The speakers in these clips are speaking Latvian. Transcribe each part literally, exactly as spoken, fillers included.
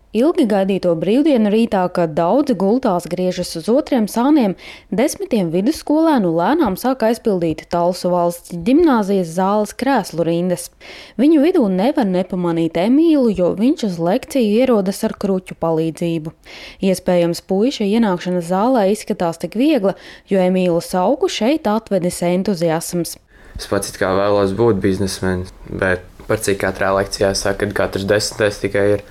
Ilgi gaidīto brīvdienu rītā, kad daudzi gultās griežas uz otriem sāniem, desmitiem vidusskolēnu lēnām sāk aizpildīt Talsu valsts ģimnāzijas zāles krēslu rindas. Viņu vidū nevar nepamanīt Emīlu, jo viņš uz lekciju ierodas ar kruķu palīdzību. Iespējams, puiša ienākšana zālē izskatās tik viegla, jo Emīlu Sauku šeit atvedis entuziasms. Es pats it kā vēlos būt biznesmenis, bet par cik katrā lekcijā saka, ka katrs desmitais tikai ir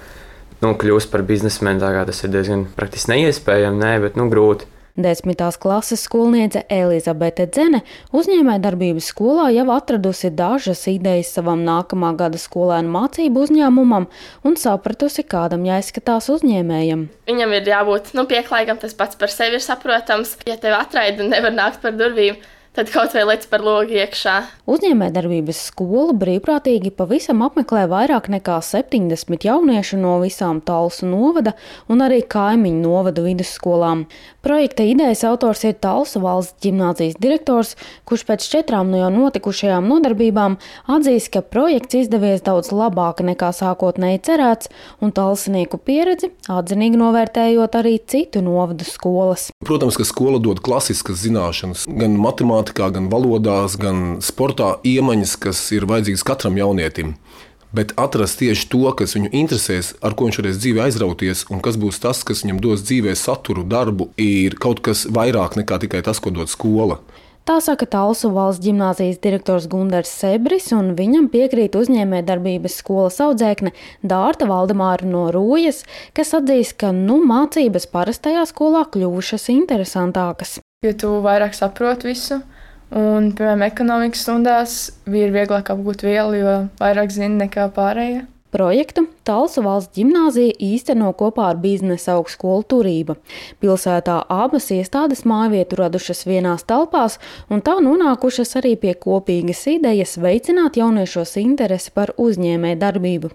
nu, kļūst par biznesmeni, tā kā tas ir diezgan praktiski neiespējami, nē, bet nu, grūti. Desmitās klases skolniece Elizabete Dzene uzņēmējdarbības skolā jau atradusi dažas idejas savam nākamā gada skolēnu mācību uzņēmumam un sapratusi, kādam jāizskatās uzņēmējam. Viņam ir jābūt nu, pieklājīgam, tas pats par sevi ir saprotams. Ja tev atraida un nevar nākt par durvīm, tad kaut vai lec par logu iekšā. Uzņēmējdarbības skola brīvprātīgi pavisam apmeklē vairāk nekā septiņdesmit jauniešu no visām Talsu novada un arī kaimiņu novadu vidusskolām. Projekta idejas autors ir Talsu valsts ģimnāzijas direktors, kurš pēc četrām no jau notikušajām nodarbībām atzīst, ka projekts izdevies daudz labāk nekā sākotnēji cerēts, un talsinieku pieredzi atzinīgi novērtējot arī citu novadu skolas. Protams, ka skola dod klasiskas zināšanas, gan matemātikā, gan valodās, gan sportā iemaņas, kas ir vajadzīgas katram jaunietim. Bet atrast tieši to, kas viņu interesēs, ar ko viņš varēs dzīvē aizrauties un kas būs tas, kas viņam dos dzīvē saturu, darbu, ir kaut kas vairāk nekā tikai tas, ko dod skola. Tā saka Talsu valsts ģimnāzijas direktors Gundars Sebris, un viņam piekrīt uzņēmējdarbības skolas audzēkne Dārta Valdemāra no Rūjas, kas atzīst, ka nu, mācības parastajā skolā kļuvušas interesantākas. Jo tu vairāk saproti visu. Un, piemēram, ekonomikas stundās bija vieglāk apgūt vielu, jo vairāk zina nekā pārējie. Projektu Talsu valsts ģimnāzija īsteno kopā ar biznesa augstskolu Turība. Pilsētā abas iestādes mājvietu radušas vienās telpās un tā nonākušas arī pie kopīgas idejas veicināt jauniešos interesi par uzņēmēju darbību.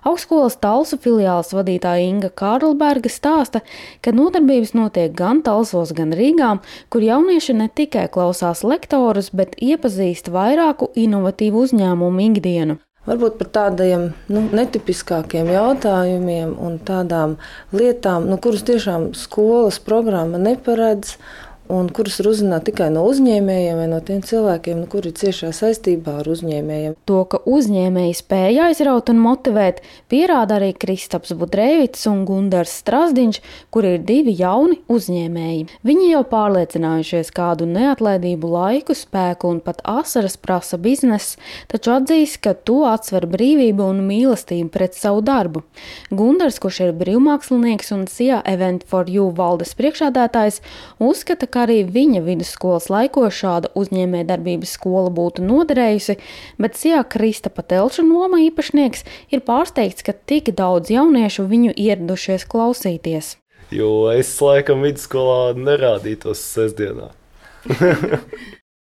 Augstskolas Talsu filiāles vadītāja Inga Kārlberga stāsta, ka nodarbības notiek gan Talsos, gan Rīgā, kur jaunieši ne tikai klausās lektorus, bet iepazīst vairāku inovatīvu uzņēmumu ikdienu. Varbūt par tādiem nu, netipiskākiem jautājumiem un tādām lietām, nu, kuras tiešām skolas programma neparedz un kuras ir uzzināti tikai no uzņēmējiem vai no tiem cilvēkiem, nu, kuri ir ciešā saistībā ar uzņēmējiem. To, ka uzņēmēji spēja aizraut un motivēt, pierāda arī Kristaps Budrēvits un Gundars Strazdiņš, kuri ir divi jauni uzņēmēji. Viņi jau pārliecinājušies, kādu neatlaidību laiku, spēku un pat asaras prasa bizness, taču atzīst, ka to atsver brīvība un mīlestība pret savu darbu. Gundars, kurš ir brīvmākslinieks un S I A Event for You valdes priekšādātājs, uzskata, ka arī viņa vidusskolas laikos šāda uzņēmējdarbības skola būtu noderējusi, bet S I A Kristapa Telča noma īpašnieks ir pārsteigts, ka tik daudz jauniešu viņu ieradušies klausīties. Jo es laikam vidusskolā nerādītos sestdienā.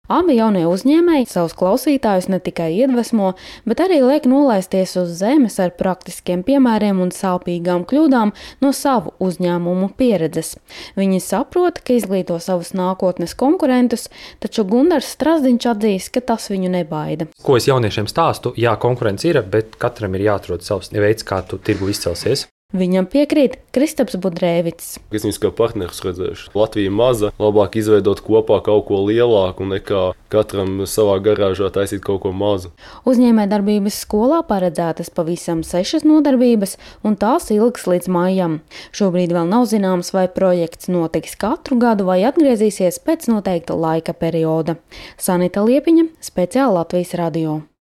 Abi jaunie uzņēmēji savus klausītājus ne tikai iedvesmo, bet arī liek nolaisties uz zemes ar praktiskiem piemēriem un sāpīgām kļūdām no savu uzņēmumu pieredzes. Viņi saprot, ka izglīto savus nākotnes konkurentus, taču Gundars Strazdiņš atzīst, ka tas viņu nebaida. Ko es jauniešiem stāstu? Jā, konkurence ir, bet katram ir jāatrod savs veids, kā tu tirgu izcelsies. Viņam piekrīt Kristaps Budrēvits. Es viņus kā partnerus redzēšu. Latvija maza, labāk izveidot kopā kaut ko lielāku nekā katram savā garāžā taisīt kaut ko mazu. Uzņēmējdarbības skolā paredzētas pavisam sešas nodarbības, un tās ilgs līdz maijam. Šobrīd vēl nav zināms, vai projekts notiks katru gadu vai atgriezīsies pēc noteikta laika perioda. Sanita Liepiņa, speciāli Latvijas radio.